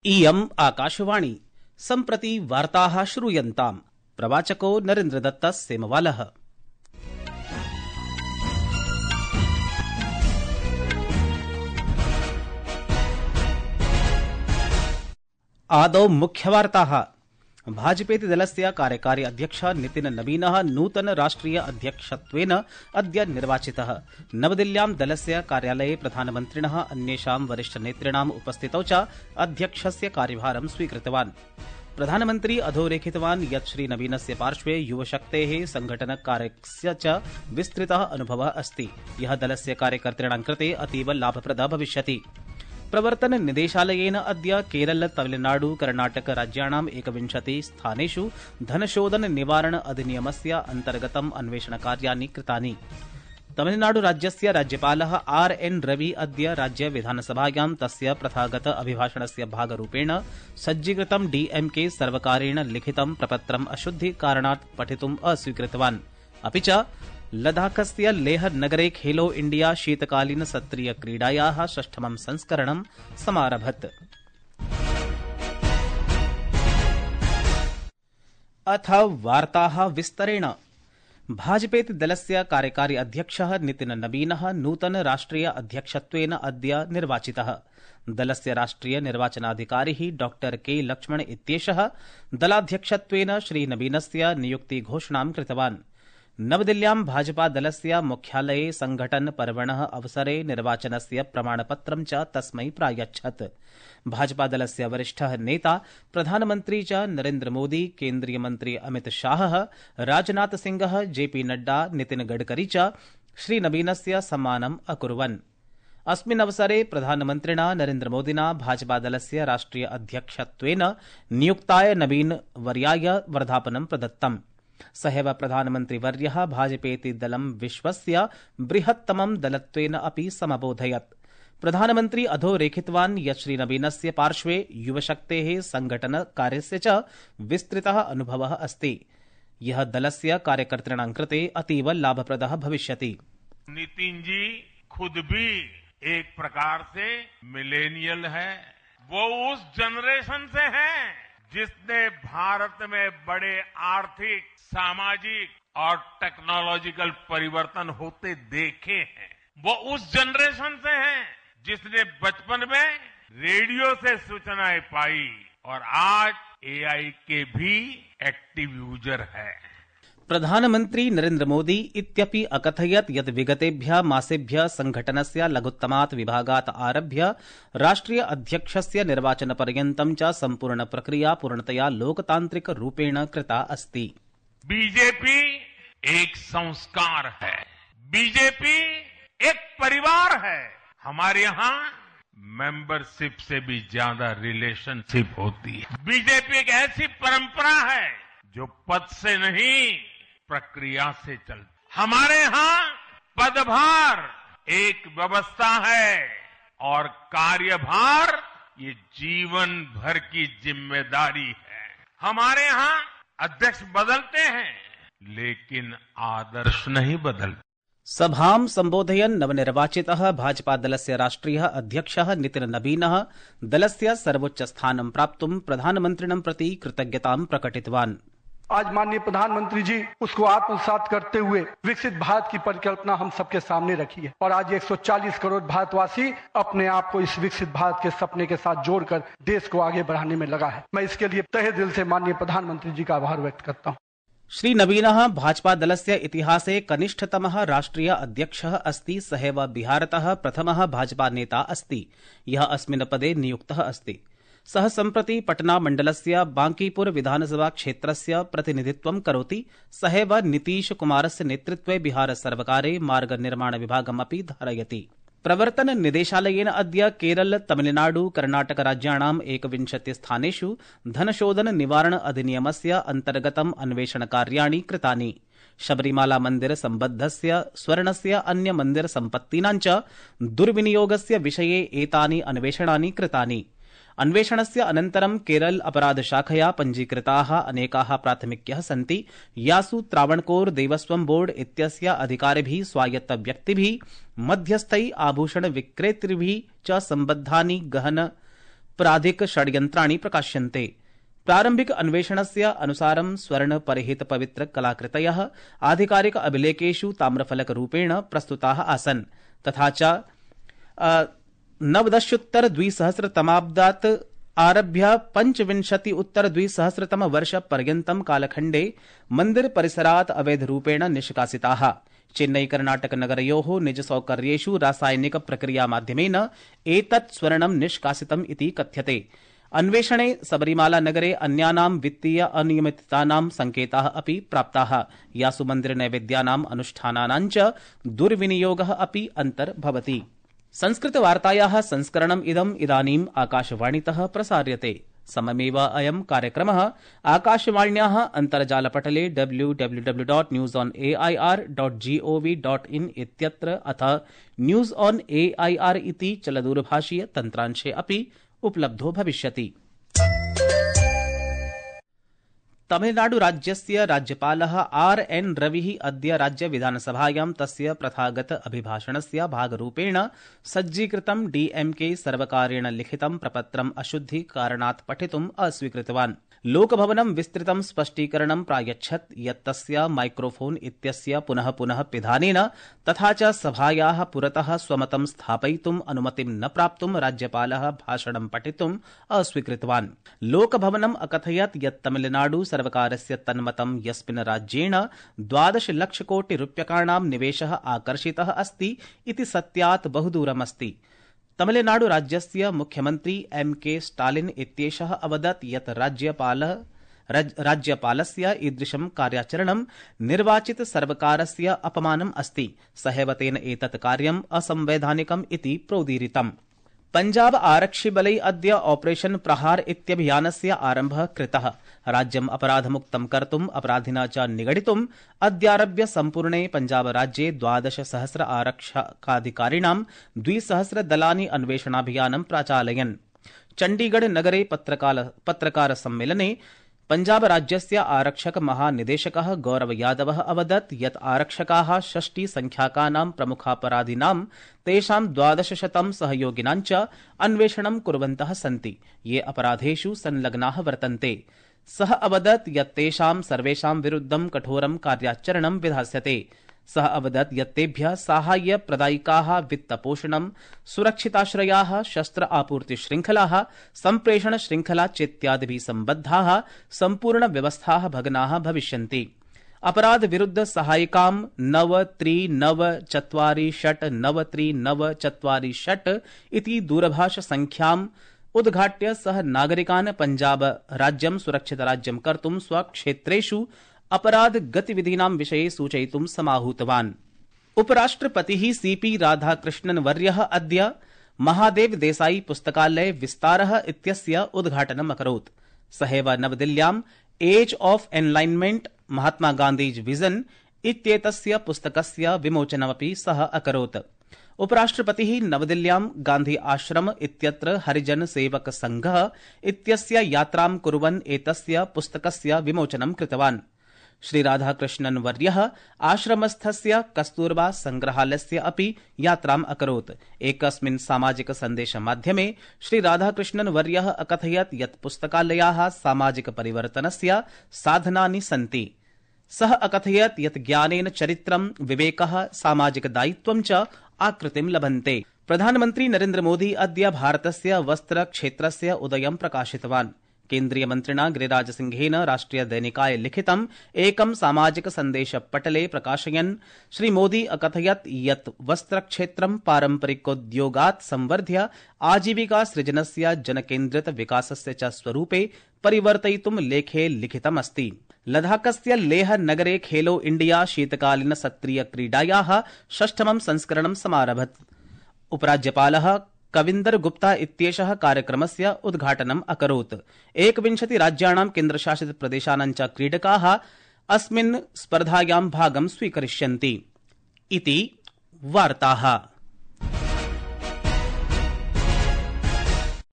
इयम् आकाशवाणी सम्प्रति वार्ताः श्रूयन्ताम्। प्रवाचको नरेन्द्रदत्त सेमवालः। आदौ मुख्यवार्ताः। भाजपेति दलस्य कार्यकारी अध्यक्ष नितिन नवीनः नूतन राष्ट्रिय अध्यक्षत्वेन अद्य निर्वाचितः। नवदिल्ल्यां दलस्य कार्यालये प्रधानमन्त्रिणः अन्येषां वरिष्ठनेतॄणाम् उपस्थितौ च अध्यक्षस्य कार्यभारं स्वीकृतवान्। प्रधानमन्त्री अधोरेखितवान् यत् श्रीनवीनस्य पार्श्वे युवशक्तेः संघटनकार्यस्य च विस्तृतः अनुभवः अस्ति, यः दलस्य कार्यकर्तॄणां कृते अतीव लाभप्रदः भविष्यति। प्रवर्तन निदेशालयेन अद्य केरल तमिलनाडु कर्णाटक राज्याणाम् 21 स्थानेषु धनशोधन निवारण अधिनियमस्य अन्तर्गतम् अन्वेषणकार्याणि कृतानि। तमिलनाडु राज्यस्य राज्यपालः आर्.एन्. रवि अद्य राज्य विधानसभायां तस्य प्रथागत अभिभाषणस्य भागरूपेण सज्जीकृतं DMK सर्वकारेण लिखितं प्रपत्रम् अशुद्धिकारणात् पठितुम् अस्वीकृतवान्। अपि च लद्दाखस्य लेह नगरे खेलो इंडिया शीतकालीन सत्रीय क्रीडायाः 6ठमं संस्करणं समारभत। अथ वार्ताः विस्तरेण। भाजपेति दलस्य कार्यकारी अध्यक्षः नितिन नवीनः नूतन राष्ट्रिय अध्यक्षत्वेन अद्य निर्वाचितः। दलस्य राष्ट्रिय निर्वाचनाधिकारी डॉ के लक्ष्मण इत्येषः दलाध्यक्षत्वेन श्रीनवीनस्य नियुक्ति घोषणां कृतवान्। नवदिल्ल्यां भाजपा दलस्य मुख्यालये संघटन पर्वणः अवसरे निर्वाचनस्य प्रमाणपत्रं च तस्मै प्रायच्छत्। भाजपा दलस्य वरिष्ठः नेता प्रधानमन्त्री च नरेन्द्र मोदी, केन्द्रीय मन्त्री अमित शाहः, राजनाथ सिंहः, JP नड्डा, नितिन गडकरी च श्रीनवीनस्य सम्मानम् अकुर्वन्। अस्मिन् अवसरे प्रधानमन्त्रिणा नरेन्द्र मोदिना भाजपा दलस्य राष्ट्रिय अध्यक्षत्वेन नियुक्ताय नवीन वर्याय वर्धापनं प्रदत्तम्। सहैव प्रधानमन्त्रिवर्यः भाजपेति दलं विश्वस्य बृहत्तमं दलत्वेन अपि समबोधयत्। प्रधानमन्त्री अधोरेखितवान् यत् श्रीनवीनस्य पार्श्वे युवशक्तेः संघटनकार्यस्य च विस्तृतः अनुभवः अस्ति, यः दलस्य कार्यकर्तॄणां कृते अतीव लाभप्रदः भविष्यति। नितिन जी खुद भी एक प्रकार से मिलेनियल है। वो उस जनरेशन से है जिसने भारत में बड़े आर्थिक, सामाजिक और टेक्नोलॉजिकल परिवर्तन होते देखे हैं। वो उस जनरेशन से है जिसने बचपन में रेडियो से सूचनाएं पाई और आज AI के भी एक्टिव यूजर है। प्रधानमन्त्री नरेन्द्र मोदी इत्यपि अकथयत् यत् विगतेभ्यः मासेभ्यः संघटनस्य लघुत्तमात् विभागात् आरभ्य राष्ट्रिय अध्यक्षस्य निर्वाचनपर्यन्तं च सम्पूर्ण प्रक्रिया पूर्णतया लोकतान्त्रिक रूपेण कृता अस्ति। बीजेपी एक संस्कार है, बीजेपी एक परिवार है। हमारे यहाँ मेंबरशिप से भी ज्यादा रिलेशनशिप होती है। बीजेपी एक ऐसी परंपरा है जो पद से नहीं प्रक्रिया से चलती। हमारे यहाँ पदभार एक व्यवस्था है और कार्यभार ये जीवन भर की जिम्मेदारी है। हमारे यहाँ अध्यक्ष बदलते हैं लेकिन आदर्श नहीं बदलते। सभां सम्बोधयन् नवनिर्वाचितः भाजपा दलस्य राष्ट्रियः अध्यक्षः नितिन नवीनः दलस्य सर्वोच्च स्थानं प्राप्तुं प्रधानमन्त्रिणं प्रति कृतज्ञतां प्रकटितवान्। आज माननीय प्रधानमंत्री जी उसको आत्मसात करते हुए विकसित भारत की परिकल्पना हम सबके सामने रखी है और आज 140 करोड़ भारतवासी अपने आप को इस विकसित भारत के सपने के साथ जोड़कर देश को आगे बढ़ाने में लगा है। मैं इसके लिए तहे दिल से माननीय प्रधानमंत्री जी का आभार व्यक्त करता हूँ। श्री नवीनः भाजपा दलस्य इतिहासे कनिष्ठतमः राष्ट्रिय अध्यक्षः अस्ति। सहैव बिहारतः प्रथमः भाजपा नेता अस्ति, यः अस्मिन् पदे नियुक्तः अस्ति। सः सम्प्रति पटना मण्डलस्य बांकीपुर विधानसभा क्षेत्रस्य प्रतिनिधित्वं करोति। सहैव नीतीश कुमारस्य नेतृत्वे बिहार सर्वकारे मार्ग निर्माण विभागमपि धारयति। प्रवर्तन निदेशालयेन अद्य केरल तमिलनाडु कर्णाटक राज्याणाम् 21 स्थानेषु धनशोधन निवारण अधिनियमस्य अन्तर्गतम् अन्वेषणकार्याणि कृतानि। शबरीमाला मन्दिर सम्बद्धस्य स्वर्णस्य अन्य मन्दिर सम्पत्तीनां च दुर्विनियोगस्य विषये एतानि अन्वेषणानि कृतानि। अन्वेषणस्य अनन्तरं केरल अपराध शाखया पञ्जीकृताः अनेकाः प्राथमिक्यः सन्ति, यासु त्रावणकोर देवस्वं बोर्ड इत्यस्य अधिकारिभिः, स्वायत्तव्यक्तिभिः, मध्यस्थैः, आभूषण विक्रेतृभिः च सम्बद्धानि गहन अपराधिक षड्यन्त्राणि प्रकाश्यन्ते। प्रारम्भिक अन्वेषणस्य अनुसारं स्वर्ण परिहित पवित्र कलाकृतयः आधिकारिक अभिलेखेषु ताम्रफलकरूपेण प्रस्तुताः आसन्, तथा च 19-द्विसहस्रतमाब्दात् आरभ्य 25-2000 कालखण्डे मन्दिर परिसरात् अवैधरूपेण निष्कासिताः। चेन्नई कर्णाटक नगरयोः निजसौकर्येषु रासायनिक प्रक्रिया माध्यमेन एतत् स्वर्णं निष्कासितम् इति कथ्यते। अन्वेषणे सबरीमाला नगरे अन्यानां वित्तीय अनियमिततानां संकेताः अपि प्राप्ताः, यासु मन्दिर नैवेद्यानाम् अनुष्ठानानां च दुर्विनियोगः अपि अन्तर्भवति। संस्कृतवार्तायाः संस्करणम् इदानीम् आकाशवाणीतः प्रसार्यते। सममेव अयं कार्यक्रमः आकाशवाण्याः अन्तर्जालपटले www.newsonair.gov.in इत्यत्र अथ न्यूज ऑन एआईआर इति चलदूरभाषीय तन्त्रांशे अपि उपलब्धो भविष्यति। तमिलनाडुराज्यस्य राज्यपालः आर.एन. रविः अद्य राज्यविधानसभायां तस्य प्रथागत अभिभाषणस्य भागरूपेण सज्जीकृतं डीएमके सर्वकारेण लिखितं प्रपत्रम् अशुद्धिकारणात् पठितुम् अस्वीकृतवान्। लोकभवनं विस्तृतं स्पष्टीकरणं प्रायच्छत् यत् तस्य माइक्रोफोन इत्यस्य पुनः पुनः पिधानेन तथा च सभायाः पुरतः स्वमतं स्थापयितुम् अनुमतिं न प्राप्तुं राज्यपालः भाषणं पठितुम् अस्वीकृतवान्। लोकभवनम् अकथयत् यत् तमिलनाडु सर्वकारस्य तन्मतं यस्मिन् राज्येण 12 लक्षकोटिरूप्यकाणां निवेशः आकर्षितः अस्ति इति सत्यात् बहुदूरमस्ति। तमिलनाडु राज्यस्य मुख्यमन्त्री एम.के. स्टालिन इत्येषः अवदत् यत् राज्यपालस्य ईदृशं कार्याचरणं निर्वाचित सर्वकारस्य अपमानम् अस्ति। सहैव तेन एतत् कार्यम् असंवैधानिकम् इति प्रोदीरितम्। पंजाब आरक्षिबलै अद्य ऑपरेशन प्रहार इत्यभियानस्य आरम्भः कृतः। राज्यम् अपराधमुक्तं कर्तुम् अपराधिना च निगडितुम् अद्यारभ्य सम्पूर्णे पंजाब राज्ये 12,000 आरक्षकाधिकारिणां 200 दलानि अन्वेषणाभियानं प्राचालयन्। चण्डीगढ़ नगरे पत्रकार सम्मेलने पंजाब राज्यस्य आरक्षक महानिदेशकः गौरव यादवः अवदत् यत् आरक्षकाः 60 संख्याकानां प्रमुखापराधिनां तेषां 1200 सहयोगिनां च अन्वेषणं कुर्वन्तः सन्ति, ये अपराधेषु संलग्नाः वर्तन्ते। सः अवदत् यत् तेषां सर्वेषां विरुद्धं कठोरं कार्याचरणं विधास्यते। सः अवदत् यत् तेभ्यः साहाय्य प्रदायिकाः वित्तपोषणं, सुरक्षिताश्रयाः, शस्त्र आपूर्ति श्रृंखलाः, सम्प्रेषण श्रृंखला चेत्यादिभिः सम्बद्धाः सम्पूर्ण व्यवस्थाः भग्नाः भविष्यन्ति। अपराध विरुद्ध सहायिकां 9394693946 इति दूरभाष संख्याम् उद्घाट्य सः नागरिकान् पंजाब राज्यं सुरक्षित राज्यं कर्तुं स्वक्षेत्रेषु अपराध गतिविधीनां विषये सूचयितुं समाहूतवान्। उपराष्ट्रपतिः सीपी राधाकृष्णन् वर्यः अद्य महादेव देसाई पुस्तकालय विस्तारः इत्यस्य उद्घाटनम् अकरोत्। सहैव नवदिल्ल्याम् age of alignment Mahatma Gandhi's vision इत्येतस्य पुस्तकस्य विमोचनमपि सः अकरोत्। उपराष्ट्रपतिः नवदिल्ल्यां गांधी आश्रम इत्यत्र हरिजन सेवक संघः इत्यस्य यात्रां कुर्वन् एतस्य पुस्तकस्य विमोचनं कृतवान्। श्री राधाकृष्णन् वर्यः आश्रमस्थस्य कस्तूरबा संग्रहालयस्य अपि यात्राम् अकरोत्। एकस्मिन् सामाजिक सन्देशमाध्यमे श्री राधाकृष्णन् वर्यः अकथयत् यत् पुस्तकालयाः सामाजिक परिवर्तनस्य साधनानि सन्ति। सः अकथयत् यत् ज्ञानेन चरित्रं, विवेकः, सामाजिक दायित्वं च आकृतिं लभन्ते। प्रधानमन्त्री नरेन्द्र मोदी अद्य भारतस्य वस्त्र क्षेत्रस्य उदयं प्रकाशितवान्। केन्द्रीय मन्त्रिणा गिरिराज सिंहेन राष्ट्रिय दैनिकाय लिखितं एकं सामाजिक सन्देशपटले प्रकाशयन् श्री मोदी अकथयत् यत् वस्त्रक्षेत्रं पारम्परिकोद्योगात् संवर्ध्य आजीविका सृजनस्य जनकेन्द्रित विकासस्य च स्वरूपे परिवर्तयितुं लेखे लिखितमस्ति। लद्दाखस्य लेह नगरे खेलो इंडिया शीतकालीन सत्रीय क्रीडायाः 6ठमं संस्करणं समारभत। उपराज्यपालः कविन्दर गुप्ता इत्येषः कार्यक्रमस्य उद्घाटनम् अकरोत्। 21 राज्याणां केन्द्रशासित प्रदेशानां च क्रीडकाः अस्मिन् स्पर्धायां भागं स्वीकरिष्यन्ति। इति वार्ताः।